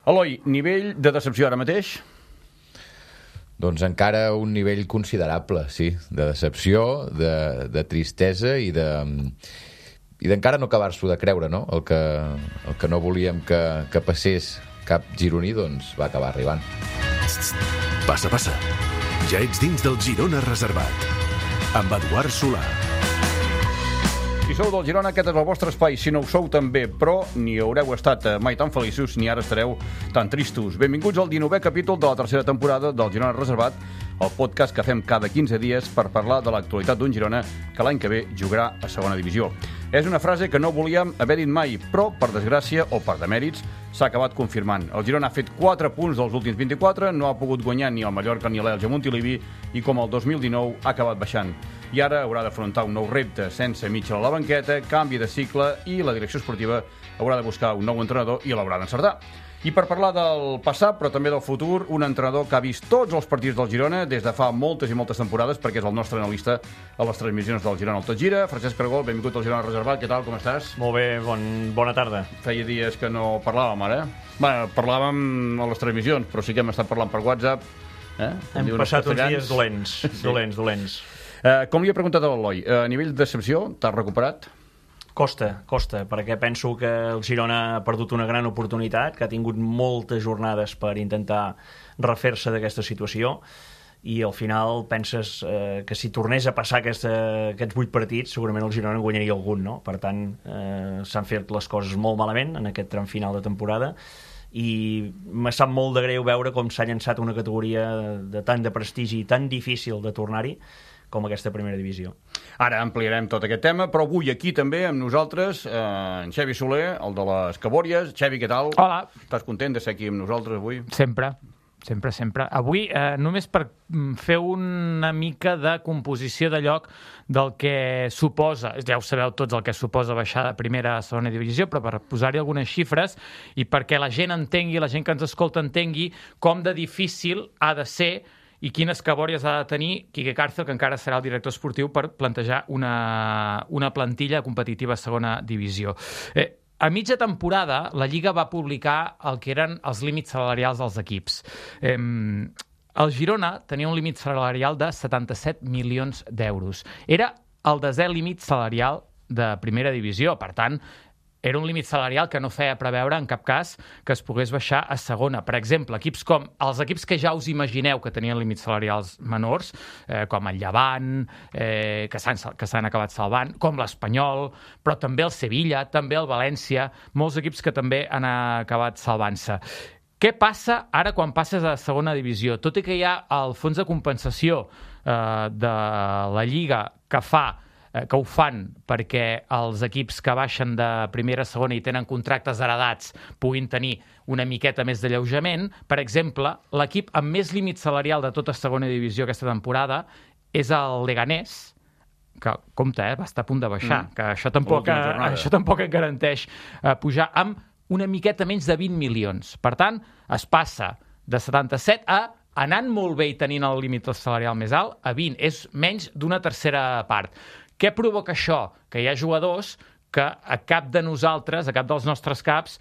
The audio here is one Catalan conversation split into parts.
Eloi, nivell de decepció ara mateix? Doncs encara un nivell considerable, sí, de decepció, de tristesa i d'encara no acabar-s'ho de creure, no? El que no volíem que passés cap gironí, doncs va acabar arribant. Passa, passa. Ja ets dins del Girona Reservat. Amb Eduard Solà. Si sou del Girona, aquest és el vostre espai. Si no ho sou, també, però ni haureu estat mai tan feliços ni ara estareu tan tristos. Benvinguts al 19è capítol de la tercera temporada del Girona Reservat, el podcast que fem cada 15 dies per parlar de l'actualitat d'un Girona que l'any que ve jugarà a segona divisió. És una frase que no volíem haver dit mai, però, per desgràcia o per demèrits, s'ha acabat confirmant. El Girona ha fet 4 punts dels últims 24, no ha pogut guanyar ni el Mallorca ni l'Elx a Montilivi i, com el 2019, ha acabat baixant. I ara haurà d'afrontar un nou repte sense Mitchell a la banqueta, canvi de cicle i la direcció esportiva haurà de buscar un nou entrenador i l'haurà d'encertar. I per parlar del passat, però també del futur, un entrenador que ha vist tots els partits del Girona des de fa moltes i moltes temporades, perquè és el nostre analista a les transmissions del Girona al Tot Gira. Francesc Cargol, benvingut al Girona Reservat. Què tal, com estàs? Molt bé, bona tarda. Feia dies que no parlàvem ara. Bé, parlàvem a les transmissions, però sí que hem estat parlant per WhatsApp. Hem passat uns dies dolents, sí. dolents. Com li he preguntat a l'Eloi, a nivell de decepció, t'has recuperat? Costa, perquè penso que el Girona ha perdut una gran oportunitat, que ha tingut moltes jornades per intentar refer-se d'aquesta situació, i al final penses que si tornés a passar aquests 8 partits, segurament el Girona en guanyaria algun, no? Per tant, s'han fet les coses molt malament en aquest tram final de temporada, i me sap molt de greu veure com s'ha llançat una categoria de tant de prestigi i tan difícil de tornar-hi com aquesta primera divisió. Ara ampliarem tot aquest tema, però avui aquí també amb nosaltres en Xavi Soler, el de les Cabòries. Xavi, què tal? Hola. Estàs content de ser aquí amb nosaltres avui? Sempre. Avui, només per fer una mica de composició de lloc del que suposa, ja ho sabeu tots el que suposa baixar de primera a segona divisió, però per posar-hi algunes xifres i perquè la gent entengui, la gent que ens escolta entengui com de difícil ha de ser i quines cabòries ha de tenir Quique Cárcel, que encara serà el director esportiu, per plantejar una plantilla competitiva a segona divisió. A mitja temporada, la Lliga va publicar el que eren els límits salarials dels equips. El Girona tenia un límit salarial de 77 milions d'euros. Era el 10è límit salarial de primera divisió, per tant, era un límit salarial que no feia preveure en cap cas que es pogués baixar a segona. Per exemple, equips com els equips que ja us imagineu que tenien límits salarials menors, com el Llevant, que s'han acabat salvant, com l'Espanyol, però també el Sevilla, també el València, molts equips que també han acabat salvant-se. Què passa ara quan passes a segona divisió? Tot i que hi ha el fons de compensació de la Lliga que ho fan perquè els equips que baixen de primera a segona i tenen contractes heredats puguin tenir una miqueta més d'alleujament. Per exemple, l'equip amb més límit salarial de tota segona divisió aquesta temporada és el Leganés, que, compte, va estar a punt de baixar, que això tampoc et garanteix pujar amb una miqueta menys de 20 milions. Per tant, es passa de 77 a anant molt bé i tenint el límit salarial més alt, a 20. És menys d'una tercera part. Què provoca això? Que hi ha jugadors que a cap de nosaltres, a cap dels nostres caps,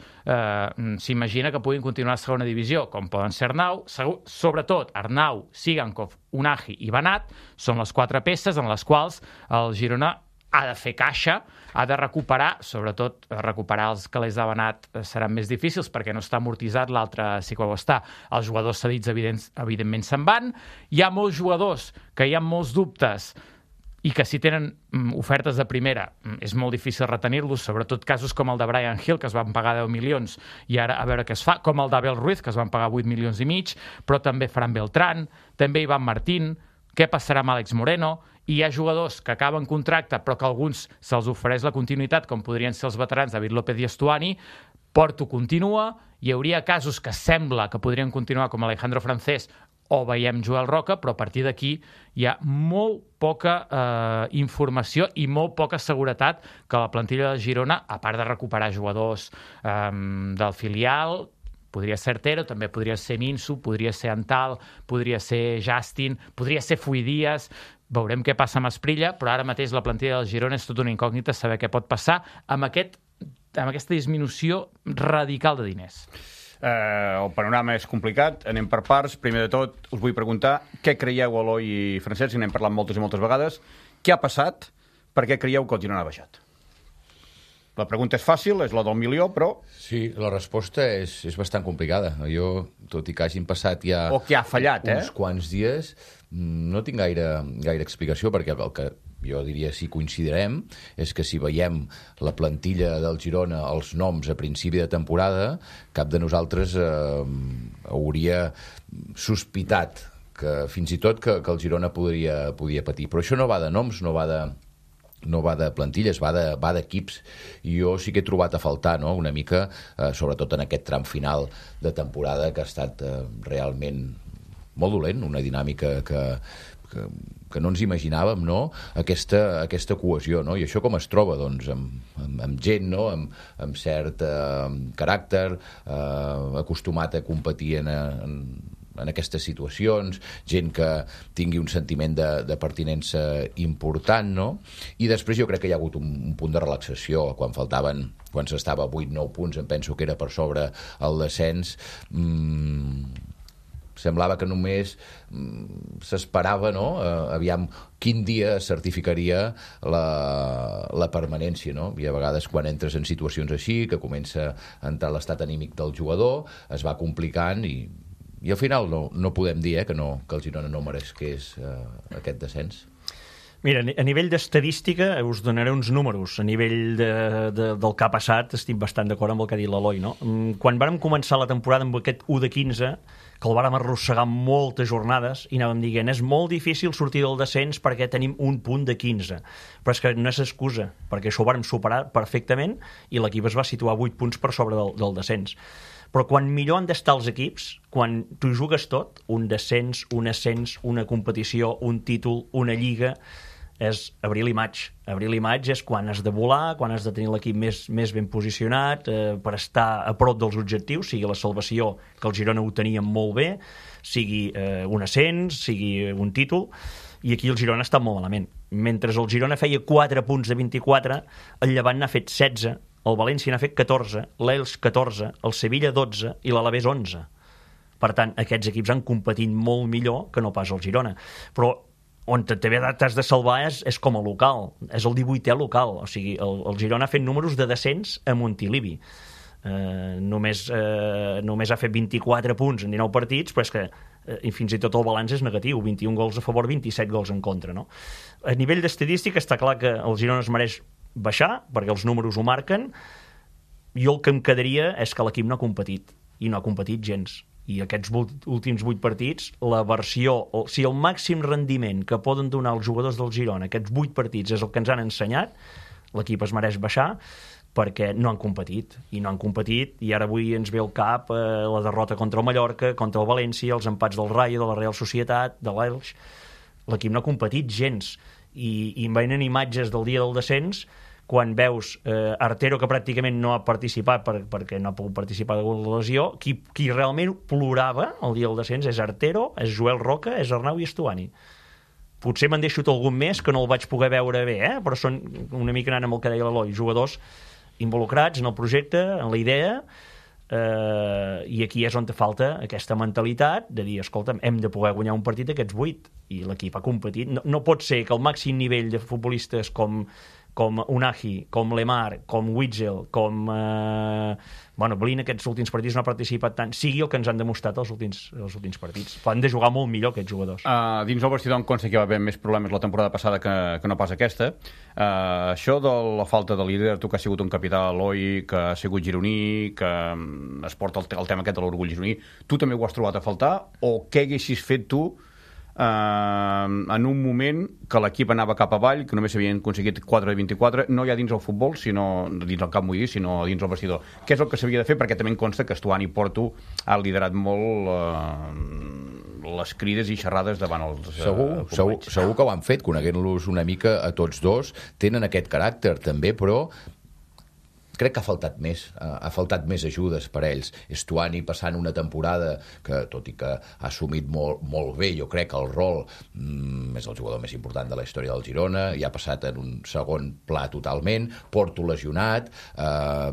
s'imagina que puguin continuar a segona divisió, com poden ser Arnau, sobretot Arnau, Sigankov, Unahi i Banat, són les 4 peces en les quals el Girona ha de fer caixa, ha de recuperar, sobretot recuperar els calés de Banat seran més difícils perquè no està amortitzat, l'altre sí que ho està. Els jugadors cedits evidentment se'n van. Hi ha molts jugadors que hi ha molts dubtes i que si tenen ofertes de primera és molt difícil retenir-los, sobretot casos com el de Brian Hill, que es van pagar 10 milions i ara a veure què es fa, com el d'Abel Ruiz, que es van pagar 8 milions i mig, però també Fran Beltrán, també Ivan Martín, què passarà amb Àlex Moreno, i hi ha jugadors que acaben contracte però que a alguns se'ls ofereix la continuïtat, com podrien ser els veterans David López i Estuani. Porto continua, hi hauria casos que sembla que podrien continuar com Alejandro Francés o veiem Joel Roca, però a partir d'aquí hi ha molt poca informació i molt poca seguretat que la plantilla de Girona, a part de recuperar jugadors del filial, podria ser Artero, també podria ser Minsu, podria ser Antal, podria ser Justin, podria ser Fuidias. Veurem què passa amb Asprilla, però ara mateix la plantilla del Girona és tot una incògnita saber què pot passar amb aquesta disminució radical de diners. El panorama és complicat, anem per parts. Primer de tot, us vull preguntar què creieu, Eloi i Francesc, n'hem parlat moltes i moltes vegades, què ha passat, per què creieu que el Girona ha baixat? La pregunta és fàcil, és la del milió, però... Sí, la resposta és bastant complicada. Jo, tot i que hagin passat ja... O que ha fallat, uns quants dies, no tinc gaire explicació, perquè el que jo diria si coincidirem és que si veiem la plantilla del Girona, els noms a principi de temporada, cap de nosaltres hauria sospitat que fins i tot que el Girona podia patir. Però això no va de noms, no va de plantilles, va d'equips. I jo sí que he trobat a faltar, no?, una mica, sobretot en aquest tram final de temporada, que ha estat realment molt dolent, una dinàmica que no ens imaginàvem, no?, aquesta cohesió, no? I això com es troba? Doncs amb gent, no?, amb cert caràcter, acostumat a competir en aquestes situacions, gent que tingui un sentiment de pertinença important, no? I després jo crec que hi ha hagut un punt de relaxació quan s'estava a 8-9 punts, em penso que era per sobre el descens. Semblava que només s'esperava, no?, aviam quin dia certificaria la permanència, no? I a vegades quan entres en situacions així, que comença a entrar l'estat anímic del jugador, es va complicant i al final no podem dir que el Girona no mereixés aquest descens. Mira, a nivell d'estadística us donaré uns números. A nivell del que ha passat estic bastant d'acord amb el que ha dit l'Eloi, no? Quan vàrem començar la temporada amb aquest 1 de 15, que el vàrem arrossegar moltes jornades i anàvem dient és molt difícil sortir del descens perquè tenim un punt de 15. Però és que no és excusa, perquè això ho vàrem superar perfectament i l'equip es va situar 8 punts per sobre del descens. Però quan millor han d'estar els equips, quan tu jugues tot, un descens, un ascens, una competició, un títol, una lliga, és abril i maig. Abril i maig és quan has de volar, quan has de tenir l'equip més ben posicionat per estar a prop dels objectius, sigui la salvació, que el Girona ho tenia molt bé, sigui un ascens, sigui un títol, i aquí el Girona està molt malament. Mentre el Girona feia 4 punts de 24, el Llevant n'ha fet 16, el València n'ha fet 14, l'Elx 14, el Sevilla 12 i l'Alavés 11. Per tant, aquests equips han competit molt millor que no pas el Girona. Però on també t'has de salvar és com a local, és el 18è local. O sigui, el Girona ha fet números de descens a Montilivi. Només ha fet 24 punts en 19 partits, però és que fins i tot el balanç és negatiu, 21 gols a favor, 27 gols en contra, no? A nivell d'estadística està clar que el Girona es mereix baixar, perquè els números ho marquen. Jo el que em quedaria és que l'equip no ha competit, i no ha competit gens. I aquests últims 8 partits, la versió, o sigui, el màxim rendiment que poden donar els jugadors del Girona, aquests 8 partits és el que ens han ensenyat, l'equip es mereix baixar, perquè no han competit, i ara avui ens ve al cap la derrota contra el Mallorca, contra el València, els empats del Rayo, de la Real Societat, de l'Elx. L'equip no ha competit gens, i em venen imatges del dia del descens, quan veus Artero, que pràcticament no ha participat perquè no ha pogut participar de la lesió, qui realment plorava el dia del descens és Artero, és Joel Roca, és Arnau i Estuani. Potser m'han deixat algun més que no el vaig poder veure bé, però són una mica anant amb el que deia l'Eloi, jugadors involucrats en el projecte, en la idea, i aquí és on te falta aquesta mentalitat de dir, escolta'm, hem de poder guanyar un partit d'aquests 8, i l'equip ha competit. No pot ser que el màxim nivell de futbolistes com Unai, com Lemar, com Witzel, com Blin, aquests últims partits no ha participat tant, sigui el que ens han demostrat els últims partits. Han de jugar molt millor aquests jugadors. Dins el vestidor em consta que hi va haver més problemes la temporada passada que no pas aquesta. Això de la falta de líder, tu que has sigut un capità, Eloi, que has sigut gironí, que es porta el tema aquest de l'orgull gironí, tu també ho has trobat a faltar, o què haguessis fet tu en un moment que l'equip anava cap avall, que només s'havien aconseguit 4 de 24, no ja dins el futbol, sinó dins el camp, vull dir, sinó dins el vestidor. Què és el que s'havia de fer? Perquè també em consta que Estuani i Porto ha liderat molt les crides i xerrades davant els segur que ho han fet, coneguent-los una mica a tots dos, tenen aquest caràcter també, però crec que ha faltat més ajudes per a ells. Estuani passant una temporada que, tot i que ha assumit molt bé, jo crec, el rol, és el jugador més important de la història del Girona, i ha passat en un segon pla totalment, Porto lesionat,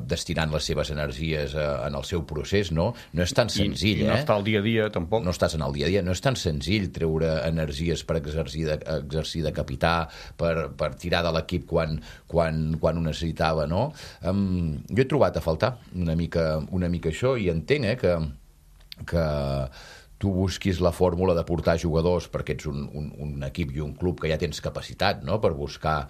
destinant les seves energies en el seu procés, no és tan senzill. I no està al dia a dia, tampoc. No estàs en el dia a dia, no és tan senzill treure energies per exercir de capità, per tirar de l'equip quan ho necessitava, no? Jo he trobat a faltar una mica això, i entenc que tu busquis la fórmula de portar jugadors, perquè ets un equip i un club que ja tens capacitat, no?, per buscar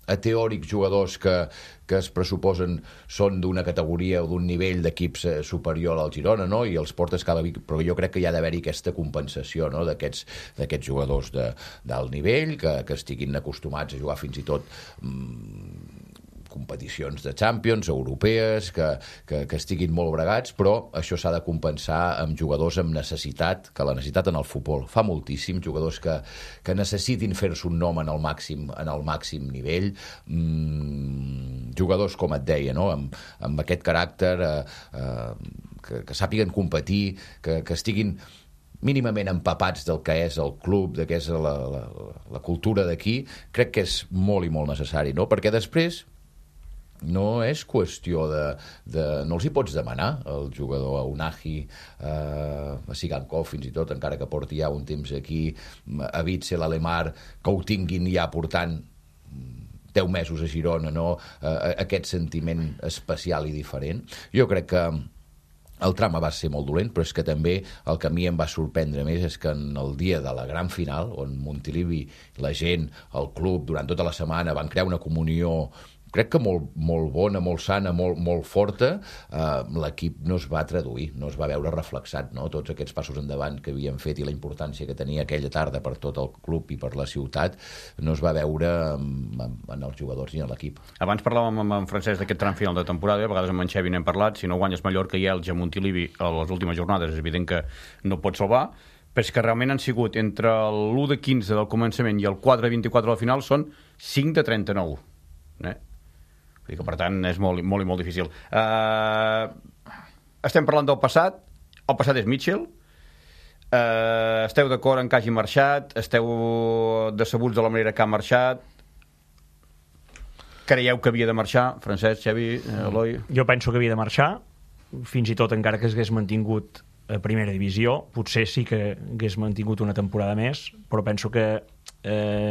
a teòrics jugadors que es pressuposen són d'una categoria o d'un nivell d'equips superior al Girona, no?, i els portes cada dia, però jo crec que hi ha d'haver-hi aquesta compensació, no?, d'aquests jugadors d'alt nivell, que estiguin acostumats a jugar fins i tot competicions de Champions, europees, que estiguin molt bregats, però això s'ha de compensar amb jugadors amb necessitat, que la necessitat en el futbol fa moltíssim, jugadors que necessitin fer-se un nom en el màxim nivell, jugadors, com et deia, no?, amb aquest caràcter, que sàpiguen competir, que estiguin mínimament empapats del que és el club, de què és la cultura d'aquí. Crec que és molt i molt necessari, no?, perquè després no és qüestió no els hi pots demanar al jugador, a Unahi, a Sigankov, fins i tot, encara que porti ja un temps aquí, a Witzel, a Lemar, que ho tinguin ja portant 10 mesos a Girona, no? Aquest sentiment especial i diferent. Jo crec que el trama va ser molt dolent, però és que també el que a mi em va sorprendre més és que en el dia de la gran final, on Montilivi, la gent, el club, durant tota la setmana van crear una comunió, crec que molt bona, molt sana, molt forta, l'equip no es va traduir, no es va veure reflexat, no?, tots aquests passos endavant que havien fet i la importància que tenia aquella tarda per tot el club i per la ciutat, no es va veure en els jugadors ni en l'equip. Abans parlàvem amb en Francesc d'aquest tram final de temporada, a vegades amb en Xevi n'hem parlat, si no guanyes Mallorca i Elx a Montilivi a les últimes jornades, és evident que no pots salvar, però és que realment han sigut entre l'1 de 15 del començament i el 4 de 24 del final són 5 de 39. Vull dir que, per tant, és molt i molt difícil. Estem parlant del passat. El passat és Mitchell. Esteu d'acord en que hagi marxat? Esteu decebuts de la manera que ha marxat? Creieu que havia de marxar? Francesc, Xavi, Eloi? Jo penso que havia de marxar, fins i tot encara que s'hagués mantingut a primera divisió. Potser sí que hagués mantingut una temporada més, però penso que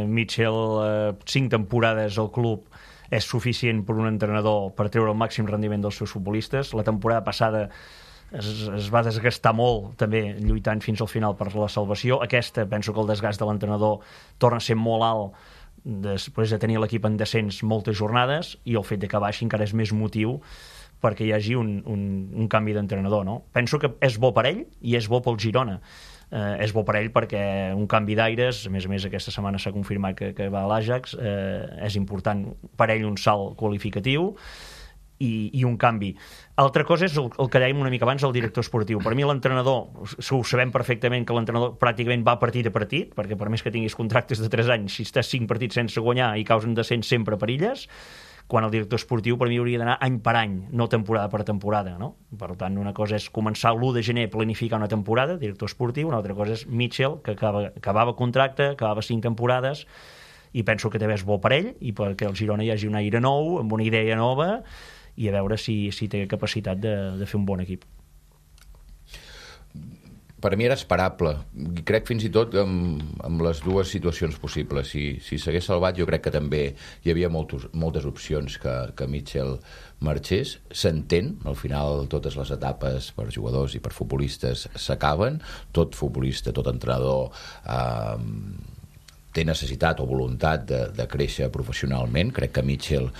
Mitchell, 5 temporades al club, és suficient per un entrenador per treure el màxim rendiment dels seus futbolistes. La temporada passada es va desgastar molt, també lluitant fins al final per la salvació. Aquesta, penso que el desgast de l'entrenador torna a ser molt alt després de tenir l'equip en descens moltes jornades, i el fet de que baixi encara és més motiu perquè hi hagi un canvi d'entrenador, no? Penso que és bo per ell i és bo pel Girona. És bo per ell perquè un canvi d'aires, a més aquesta setmana s'ha confirmat que va a l'Ajax, és important per ell, un salt qualificatiu i un canvi. Altra cosa és el que dèiem una mica abans, el director esportiu. Per mi l'entrenador, ho sabem perfectament que l'entrenador pràcticament va partit a partit, perquè per més que tinguis contractes de 3 anys, si estàs 5 partits sense guanyar i causen descens, sempre perilles, quan el director esportiu per mi hauria d'anar any per any, no temporada per temporada, no? Per tant, una cosa és començar l'1 de gener a planificar una temporada, director esportiu, una altra cosa és Mitchell, que acabava contracte, acabava 5 temporades, i penso que també és bo per ell i perquè el Girona hi hagi un aire nou, amb una idea nova, i a veure si té capacitat de fer un bon equip. Per mi era esperable. Crec fins i tot amb les dues situacions possibles. Si s'hagués salvat, jo crec que també hi havia moltes opcions que Mitchell marxés. S'entén, al final totes les etapes per jugadors i per futbolistes s'acaben. Tot futbolista, tot entrenador té necessitat o voluntat de créixer professionalment. Crec que Mitchell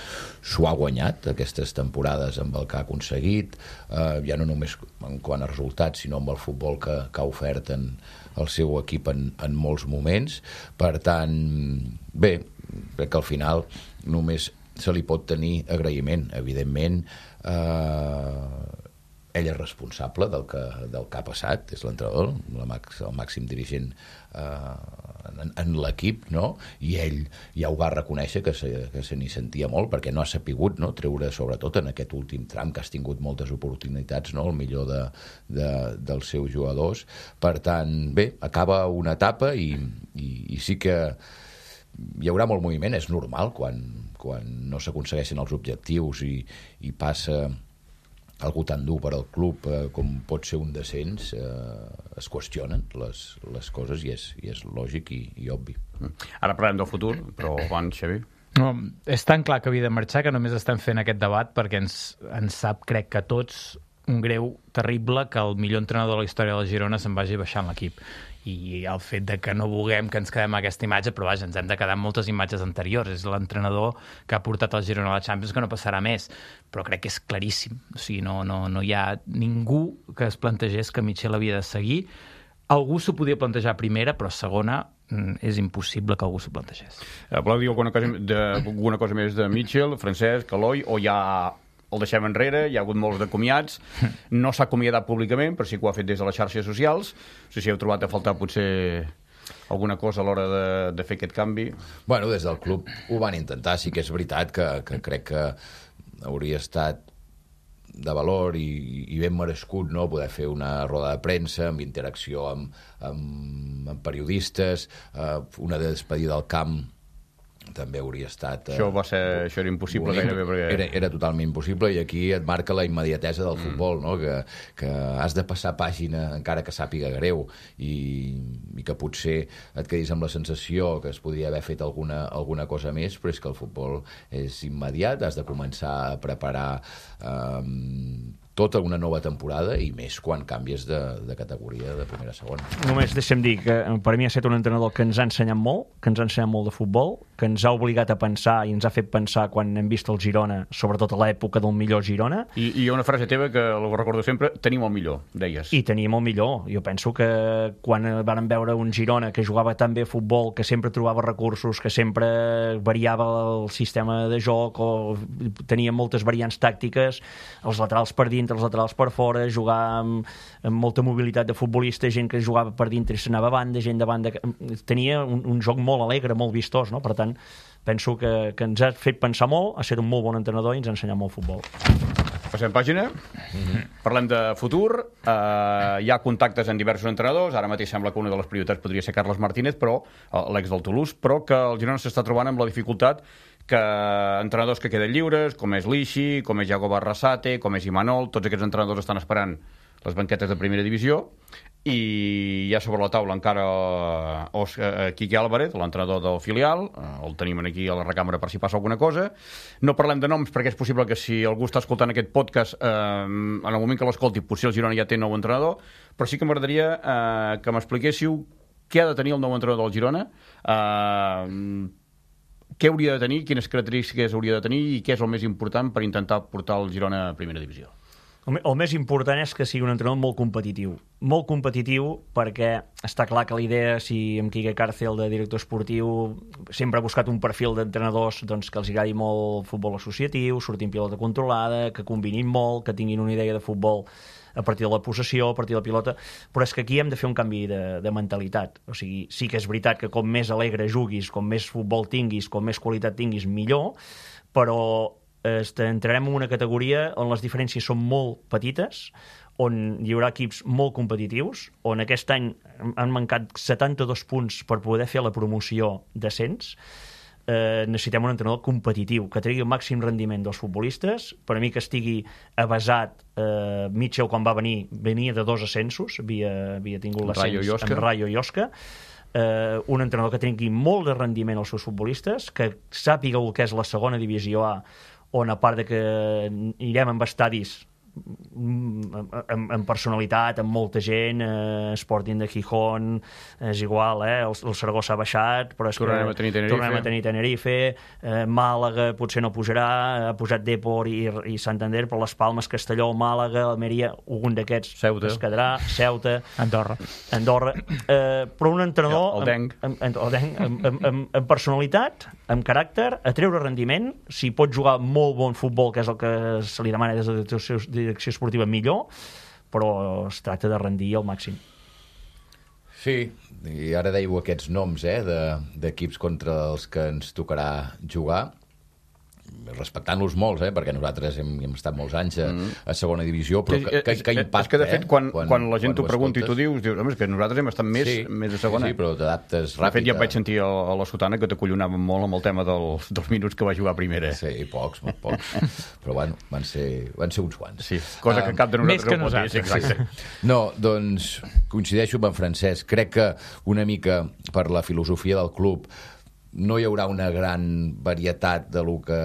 s'ho ha guanyat aquestes temporades amb el que ha aconseguit, ja no només en quant a resultats, sinó amb el futbol que ha ofert el seu equip en molts moments. Per tant, bé, crec que al final només se li pot tenir agraïment. Evidentment, ell és responsable del que ha passat, és l'entrenador, el màxim dirigent en l'equip, no? I ell ja ho va reconèixer que se n'hi sentia molt, perquè no ha sapigut, no, treure, sobretot en aquest últim tram, que has tingut moltes oportunitats, no?, el millor dels seus jugadors. Per tant, bé, acaba una etapa i sí que hi haurà molt moviment, és normal, quan no s'aconsegueixen els objectius i passa algú tan dur per al club com pot ser un descens, es qüestionen les coses i és lògic i obvi. Ara parlem del futur, però abans, Xavi... No, és tan clar que havia de marxar que només estem fent aquest debat perquè ens sap, crec que tots, un greu terrible que el millor entrenador de la història de la Girona se'n vagi baixant l'equip. I el fet de que no vulguem que ens quedem amb aquesta imatge, però vaja, ens hem de quedar amb moltes imatges anteriors. És l'entrenador que ha portat el Girona a la Champions, que no passarà més. Però crec que és claríssim. O sigui, no hi ha ningú que es plantegés que Mitchell havia de seguir. Algú s'ho podia plantejar a primera, però a segona és impossible que algú s'ho plantegés. Voleu dir alguna cosa més de Mitchell, Francesc, Eloi, o ja el deixem enrere? Hi ha hagut molts de comiats, no s'ha acomiadat públicament, però sí que ho ha fet des de les xarxes socials. No sé si heu trobat a faltar potser alguna cosa a l'hora de fer aquest canvi. Bueno, des del club ho van intentar, sí que és veritat que crec que hauria estat de valor i ben merescut, no?, poder fer una roda de premsa amb interacció amb periodistes, una despedida al camp també hauria estat... Això era impossible gairebé, perquè... Era totalment impossible, i aquí et marca la immediatesa del futbol, no?, que has de passar pàgina encara que sàpiga greu, i que potser et quedis amb la sensació que es podria haver fet alguna cosa més, però és que el futbol és immediat, has de començar a preparar tota una nova temporada, i més quan canvies de categoria de primera a segona. Només deixa'm dir que per mi ha estat un entrenador que ens ha ensenyat molt, de futbol, que ens ha obligat a pensar i ens ha fet pensar quan hem vist el Girona, sobretot a l'època del millor Girona. I hi ha una frase teva que la recordo sempre: tenim el millor, deies. I teníem el millor. Jo penso que quan vàrem veure un Girona que jugava tan bé a futbol, que sempre trobava recursos, que sempre variava el sistema de joc, o tenia moltes variants tàctiques, els laterals per dintre, els laterals per fora, jugar amb molta mobilitat de futbolista, gent que jugava per dintre i s'anava a banda, gent de banda... Tenia un joc molt alegre, molt vistós, no? Per tant, penso que ens ha fet pensar molt, ha estat un molt bon entrenador i ens ha ensenyat molt futbol. Passem pàgina. Parlem de futur. Hi ha contactes en diversos entrenadors. Ara mateix sembla que una de les prioritats podria ser Carles Martínez, però l'ex del Toulouse, però que el Girona s'està trobant amb la dificultat que entrenadors que queden lliures, com és Lixi, com és Jacob Arrasate, com és Imanol, tots aquests entrenadors estan esperant les banquetes de primera divisió, i hi ha sobre la taula encara Quique Álvarez, l'entrenador del filial, el tenim aquí a la recàmera per si passa alguna cosa. No parlem de noms perquè és possible que si algú està escoltant aquest podcast, en el moment que l'escolti, potser el Girona ja té nou entrenador, però sí que m'agradaria que m'expliquéssiu què ha de tenir el nou entrenador del Girona, què hauria de tenir, quines característiques hauria de tenir i què és el més important per intentar portar el Girona a primera divisió. El més important és que sigui un entrenador molt competitiu, perquè està clar que la idea, si amb Quique Cárcel de director esportiu sempre ha buscat un perfil d'entrenadors, doncs, que els agradi molt el futbol associatiu, sortir en pilota controlada, que combinin molt, que tinguin una idea de futbol a partir de la possessió, a partir de la pilota, però és que aquí hem de fer un canvi de mentalitat. O sigui, sí que és veritat que com més alegre juguis, com més futbol tinguis, com més qualitat tinguis, millor, però entrarem en una categoria on les diferències són molt petites, on hi haurà equips molt competitius, on aquest any han mancat 72 punts per poder fer la promoció d'ascens. Necessitem un entrenador competitiu, que tregui el màxim rendiment dels futbolistes. Per a mi que estigui avasat, Mitchell quan va venir, venia de 2 ascensos, havia tingut l'ascens amb Rayo i Osca. Un entrenador que tingui molt de rendiment als seus futbolistes, que sàpiga el que és la segona divisió A, on a part de que irem amb estadis amb personalitat, amb molta gent, Sporting de Gijón, és igual, el Saragossa ha baixat, però és tornarem a tenir Tenerife, Màlaga potser no pujarà, ha pujat Depor i Santander, però les Palmes, Castelló, Màlaga, Almeria, algun d'aquests es quedarà, Ceuta, Andorra. Però un entrenador amb personalitat, amb caràcter, a treure rendiment, si pot jugar molt bon futbol, que és el que se li demana des dels seus direcció esportiva millor, però es tracta de rendir al màxim. Sí, i ara dèieu aquests noms d'equips contra els que ens tocarà jugar, respectant-los molts, perquè nosaltres hem estat molts anys a segona divisió, però que impacta. És que, de fet, quan la gent t'ho pregunta i tu dius, home, és que nosaltres hem estat més a segona. Sí, però t'adaptes ràpid. De fet, ja vaig sentir a la Sotana que t'acollonàvem molt amb el tema dels minuts que va jugar a primera. Sí, pocs, molt pocs. Però bueno, van ser uns quants. Sí, cosa que cap de nosaltres més que nosaltres. Exacte. No, doncs coincideixo amb en Francesc. Crec que una mica per la filosofia del club no hi haurà una gran varietat de lo que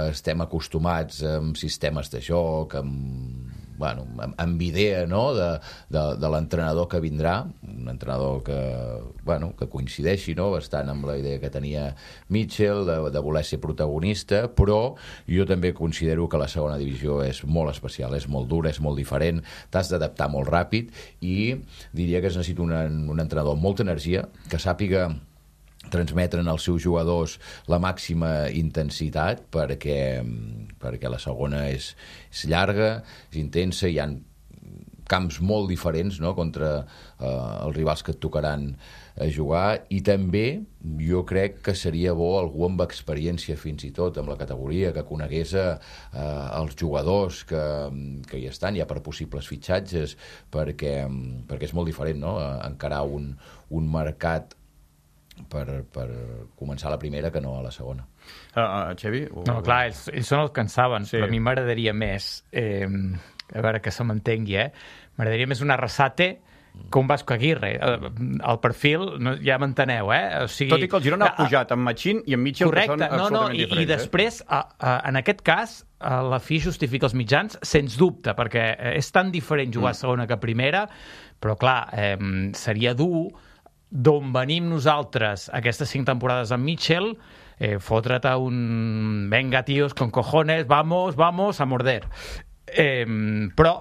estem acostumats amb sistemes de joc, amb idea, no?, de l'entrenador que vindrà, un entrenador que coincideixi, no?, bastant amb la idea que tenia Mitchell de voler ser protagonista, però jo també considero que la segona divisió és molt especial, és molt dura, és molt diferent, t'has d'adaptar molt ràpid i diria que es necessita un entrenador amb molta energia, que sàpiga transmetren als seus jugadors la màxima intensitat perquè la segona és llarga, és intensa, hi ha camps molt diferents, no?, contra els rivals que et tocaran jugar, i també jo crec que seria bo algú amb experiència fins i tot amb la categoria, que conegués els jugadors que hi estan ja per possibles fitxatges, perquè és molt diferent, no?, encarar un mercat per començar a la primera que no a la segona. Xevi? No, clar, ells són els que en saben, sí. Però a mi m'agradaria més, a veure que se m'entengui, m'agradaria més una Arrasate que un Vasco Aguirre. El perfil, ja m'enteneu, O sigui, tot i que el Girona ha pujat amb Machín i amb Mitchell, correcte, que són absolutament diferents. I després, en aquest cas, la fi justifica els mitjans, sens dubte, perquè és tan diferent jugar a segona que a primera, però clar, seria dur d'on venim nosaltres aquestes 5 temporades amb Mitchell, fotre't a un venga, tios, con cojones, vamos a morder. Però,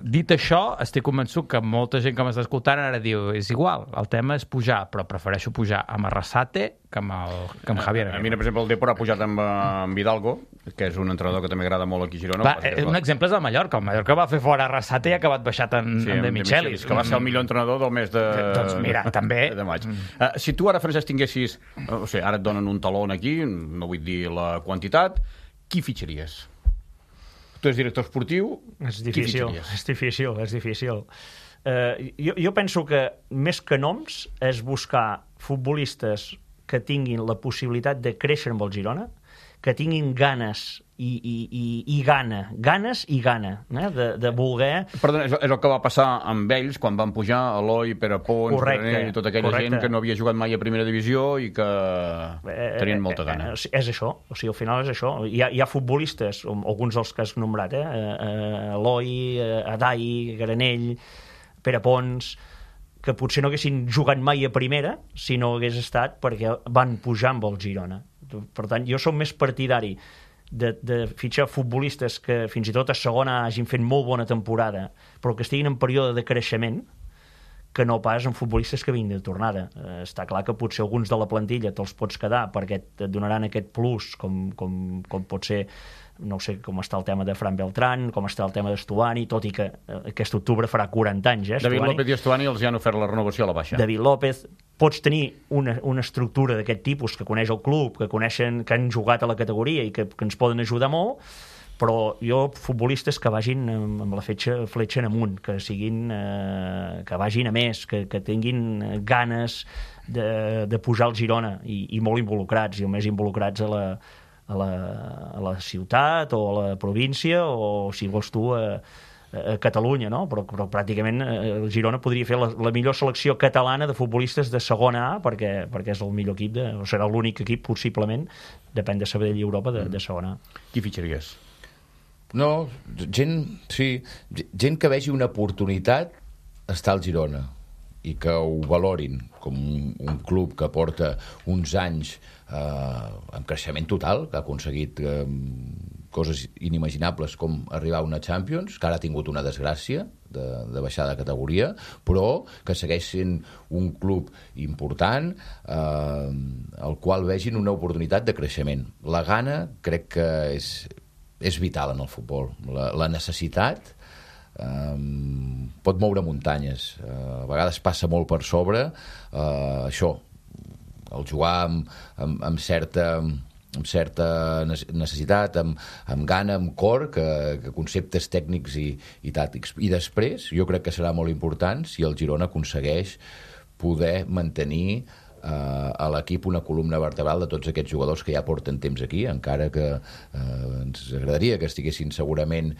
dit això, estic convençut que molta gent que m'està escoltant ara diu, és igual, el tema és pujar, però prefereixo pujar amb Arrasate que amb Javier. A mi, per exemple, el Depor ha pujat amb Hidalgo, que és un entrenador que també agrada molt aquí a Girona. Un exemple és el Mallorca. El Mallorca va fer fora Arrasate i ha acabat baixat en De Michelis. Que va ser el millor entrenador del mes de... Doncs mira, també... de maig. Si tu ara, Francesc, tinguessis... O sigui, ara et donen un taló aquí, no vull dir la quantitat, qui fitxaries? Tu ets director esportiu, és difícil. Jo penso que més que noms és buscar futbolistes que tinguin la possibilitat de créixer amb el Girona, que tinguin ganes i gana de voler... Perdona, és el que va passar amb ells quan van pujar Eloi, Pere Pons, Granell i tota aquella gent que no havia jugat mai a primera divisió i que tenien molta gana. És això, o sigui, al final és això. Hi ha futbolistes, alguns dels que has nombrat, Eloi, Adai, Granell, Pere Pons, que potser no haguessin jugat mai a primera si no hagués estat perquè van pujar amb el Girona. Per tant, jo som més partidari de fitxar futbolistes que fins i tot a segona hagin fet molt bona temporada, però que estiguin en període de creixement, que no pas en futbolistes que vinguin de tornada. Està clar que potser alguns de la plantilla te'ls pots quedar perquè et donaran aquest plus, com pot ser, no sé com està el tema de Fran Beltrán, com està el tema d'Estuani, tot i que aquest octubre farà 40 anys. David López i Estuani els han ofert la renovació a la baixa. David López, pots tenir una estructura d'aquest tipus que coneix el club, que han jugat a la categoria i que ens poden ajudar molt, però jo, futbolistes que vagin amb la fletxa en amunt, que vagin a més, que tinguin ganes de pujar al Girona i molt involucrats, i més involucrats a la ciutat o a la província o, si vols tu, a Catalunya, no? Però pràcticament el Girona podria fer la millor selecció catalana de futbolistes de segona A perquè és el millor equip, o serà l'únic equip, possiblement, depèn de Sabadell i Europa, de segona A. Qui fitxaries? No, gent que vegi una oportunitat estar al Girona i que ho valorin com un club que porta uns anys amb creixement total, que ha aconseguit coses inimaginables com arribar a una Champions, que ara ha tingut una desgràcia de baixar de categoria, però que segueix sent un club important al qual vegin una oportunitat de creixement. La gana crec que és és vital en el futbol. La necessitat pot moure muntanyes. A vegades passa molt per sobre això, el jugar amb certa necessitat, amb gana, amb cor, que conceptes tècnics i tàctics. I després, jo crec que serà molt important si el Girona aconsegueix poder mantenir a l'equip una columna vertebral de tots aquests jugadors que ja porten temps aquí, encara que ens agradaria que estiguessin segurament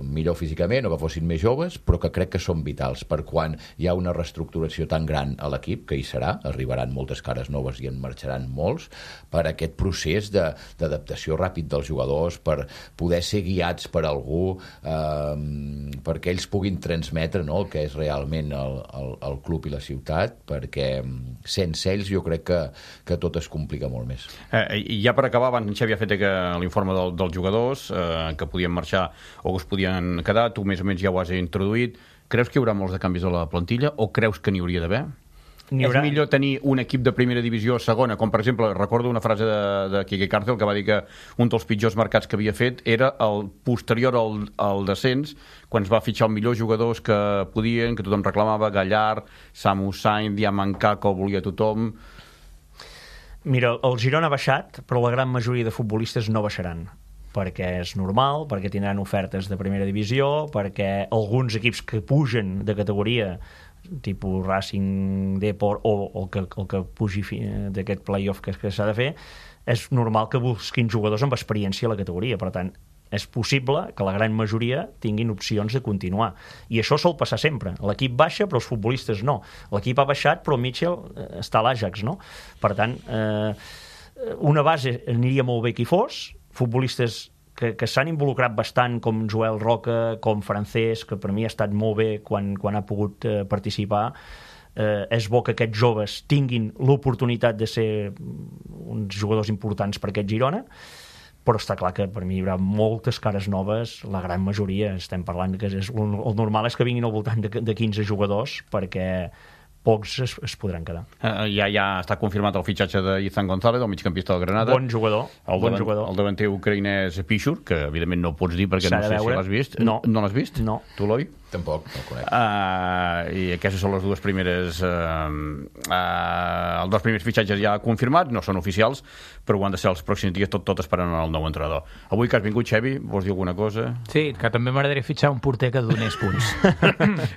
millor físicament o que fossin més joves, però que crec que són vitals per quan hi ha una reestructuració tan gran a l'equip, que hi serà, arribaran moltes cares noves i en marxaran molts, per aquest procés d'adaptació ràpid dels jugadors, per poder ser guiats per algú, perquè ells puguin transmetre, no?, el que és realment el club i la ciutat, perquè sense ells jo crec que tot es complica molt més. I ja per acabar, abans en Xavi ha fet l'informe dels jugadors que podien marxar o que es podien quedar, tu més o menys ja ho has introduït. Creus que hi haurà molts de canvis a la plantilla o creus que n'hi hauria d'haver? És millor tenir un equip de primera divisió segona, com per exemple, recordo una frase de Quique Cárcel que va dir que un dels pitjors mercats que havia fet era el posterior al descens, quan es va fitxar els millors jugadors que podien, que tothom reclamava, Gallard, Samu Sainz, Diamantca, que ho volia tothom. Mira, el Girona ha baixat, però la gran majoria de futbolistes no baixaran, perquè és normal, perquè tindran ofertes de primera divisió, perquè alguns equips que pugen de categoria, tipus Racing, Depor o el que pugi d'aquest play-off que s'ha de fer, és normal que busquin jugadors amb experiència a la categoria. Per tant, és possible que la gran majoria tinguin opcions de continuar. I això sol passar sempre. L'equip baixa, però els futbolistes no. L'equip ha baixat, però Mitchell està a l'Ajax, no? Per tant, una base aniria molt bé que hi fos, futbolistes que s'han involucrat bastant, com Joel Roca, com Francesc, que per mi ha estat molt bé quan ha pogut participar. És bo que aquests joves tinguin l'oportunitat de ser uns jugadors importants per aquest Girona, però està clar que per mi hi haurà moltes cares noves, la gran majoria. Estem parlant que el normal és que vinguin al voltant de 15 jugadors, perquè pocs es podran quedar. Ja està confirmat el fitxatge d'Izan González, el migcampista del Granada. Bon jugador. El davanter ucraïnès Pichur, que evidentment no ho pots dir perquè no sé si l'has vist. No l'has vist? No. Tu, Eloi? Tampoc, no el conec. I aquestes són les dues primeres... els dos primers fitxatges ja confirmats, no són oficials, però ho han de ser els pròxims dies, tot esperant el nou entrenador. Avui que has vingut, Xavi, vols dir alguna cosa? Sí, que també m'agradaria fitxar un porter que donés punts.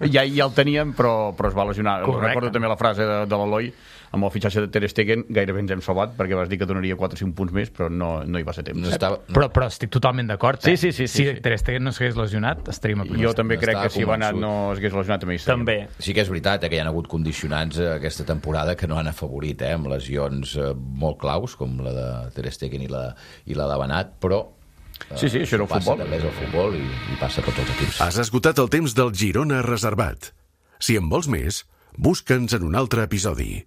ja el teníem, però es va lesionar. Correcte. Recordo també la frase de l'Eloi, amb el fitxatge de Ter Stegen gairebé ens hem salvat, perquè vas dir que donaria 4 o 5 punts més, però no hi va ser temps. Però estic totalment d'acord. Sí. Si Ter Stegen no s'hagués lesionat, estaríem a punt. Jo també crec que si Banat no s'hagués lesionat també hi estaríem. També. Sí que és veritat que hi ha hagut condicionants aquesta temporada que no han afavorit, amb lesions molt claus, com la de Ter Stegen i la de Banat, però sí, això era el futbol. També és el futbol i passa a tots els equips. Has esgotat el temps del Girona Reservat. Si en vols més, busca'ns en un altre episodi.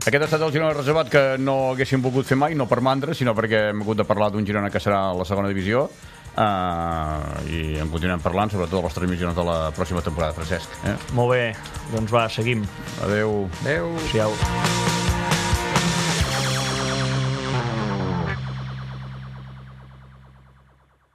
Aquest ha estat el Girona Reservat que no haguéssim volgut fer mai, no per mandra, sinó perquè hem hagut de parlar d'un Girona que serà a la segona divisió, i en continuem parlant, sobretot de les transmissions de la pròxima temporada, Francesc. Molt bé, doncs va, seguim. Adéu. Adéu. Adéu.